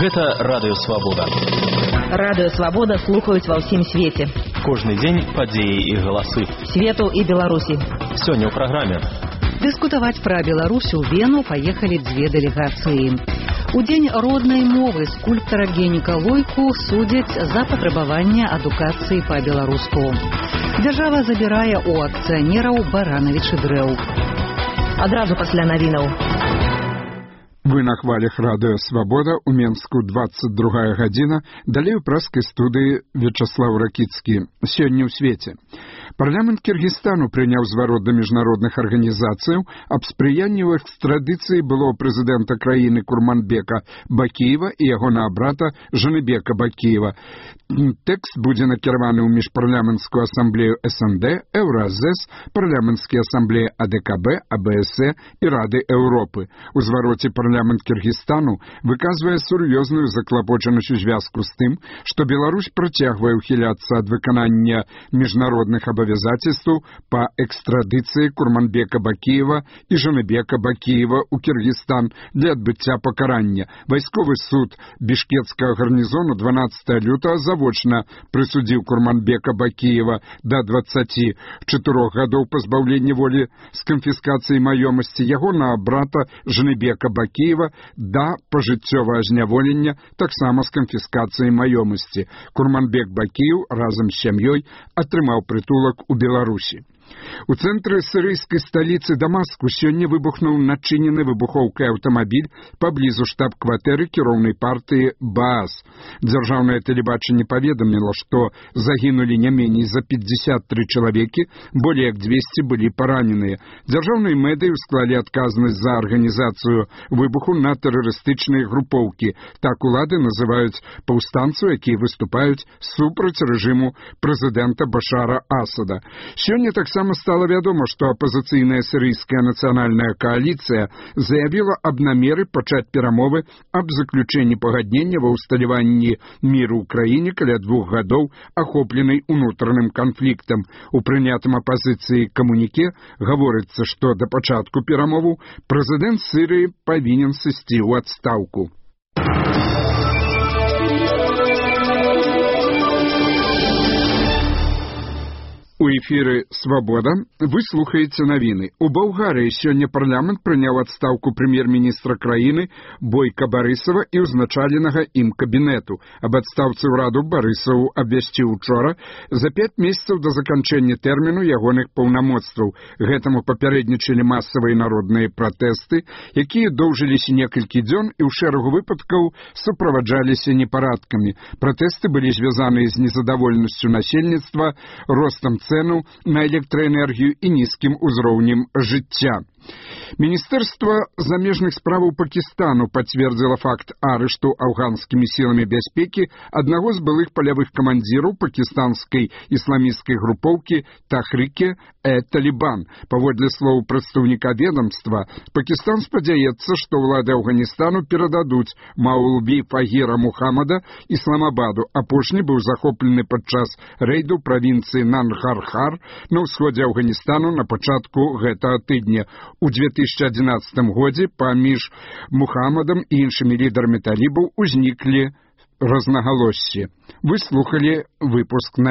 Гэта Радыё Свабода. Радыё Свабода слухаюць ва ўсім свеце. Кожны дзень падзеі і галасы. Свету і Беларусі. Сёння ў праграме. Дыскутаваць пра Беларусь у Вену паехалі дзве дэлегацыі. У дзень роднай мовы скульптара Генніка Лойку судзяць за патрабаванне адукацыі па-беларуску. Дзяржава забірае ў акцыянераў баранавічы дрэў. Адразу пасля навінаў. Вы на хвалях Радыё Свабода, у Менску 22 гадзіна, далей у праскай студыі Вячаслаў Ракіцкі. Сёння ў свеце. Парламент Кіргізстану прыняў зварот да міжнародных арганізацыяў аб спрыянні ў экстрадыцыі былого прэзідэнта краіны Курманбека Бакіева і ягонага брата Жаныбека Бакіева. Тэкст будзе накіраваны ў міжпарламенцкую асамблею СНД, Еўразэс, парламенцкія асамблеі АДКБ, АБСЭ і Рады Еўропы. У звароце парламент Кіргізстану выказвае сур'ёзную заклапочанасць у звязку з тым, што Беларусь працягвае ўхіляцца ад выканання міжнародных абавязацельстваў па экстрадыцыі Курманбека Бакіева і Жаныбека Бакіева ў Кіргізстан для адбыцця пакарання. Вайсковы суд бішкецкага гарнізону 12 лютага завочна прысудзіў Курманбека Бакіева да 24 гадоў пазбаўлення волі з канфіскацыяй маёмасці, ягонага брата Жаныбека Бакіева да пажыццёвага зняволення, таксама з канфіскацыяй маёмасці. Курманбек Бакіев разам з сям'ёй атрымаў прытулак у Беларусі. У цэнтры сірыйскай сталіцы Дамаску сёння выбухнуў начынены выбухоўкай аўтамабіль паблізу штаб-кватэры кіроўнай партыі Баас. Дзяржаўнае тэлебачанне паведаміла, што загінулі не меней за 53 чалавекі, болей як 200 былі параненыя. Дзяржаўнай мэдай усклалі адказнасць за арганізацыю выбуху на тэрарыстычныя групоўкі. Так улады называюць паўстанцаў, якія выступаюць супраць рэжыму прэзідэнта Башара Асада. Сёння таксама стало вядома, што апазіцыйная сірыйская нацыянальная кааліцыя заявіла аб намеры пачаць перамовы аб заключэнні пагаднення ва ўсталяванні міру ў краіне каля 2 гадоў, ахопленай унутраным канфліктам. У прынятым апазіцыі камуніке гаворыцца, што да пачатку перамоваў прэзідэнт Сірыі павінен сысці ў адстаўку. У эфіры «Свабода» вы слухаеце навіны. У Балгарыі сёння парламент прыняў адстаўку прэм'ер-міністра краіны Бойка Барысава і ўзначаленага ім кабінету. Аб адстаўцы ўраду Барысаву абвясціў учора за 5 месяцаў да заканчэння тэрміну ягоных паўнамоцтваў. Гэтаму папярэднічалі масавыя народныя пратэсты, якія доўжыліся некалькі дзён і ў шэрагу выпадкаў суправаджаліся непарадкамі. Пратэсты былі звязаныя з незадаволенасцю насельніцтва, ростам цэну на электраэнергію і нізкім узроўнем жыцця. Міністэрства замежных справаў Пакістану пацвердзіла факт арышту афганскімі сіламі бяспекі аднаго з былых палявых камандзіраў пакістанскай ісламісцкай групоўкі Тахріке-э-Талібан. Паводле слоў прадстаўніка ведамства, Пакістан спадзяецца, што ўлады Афганістану перададуць Маулві Фагіра Мухаммада Ісламабаду. Апошні быў захоплены падчас рэйду правінцыі Нангархар на ўсходзе Афганістану на пачатку гэтага тыдня. У 2011 годзе паміж Мухаммадам і іншымі лідарамі талібаў узніклі рознагалоссі. Вы слухалі выпуск на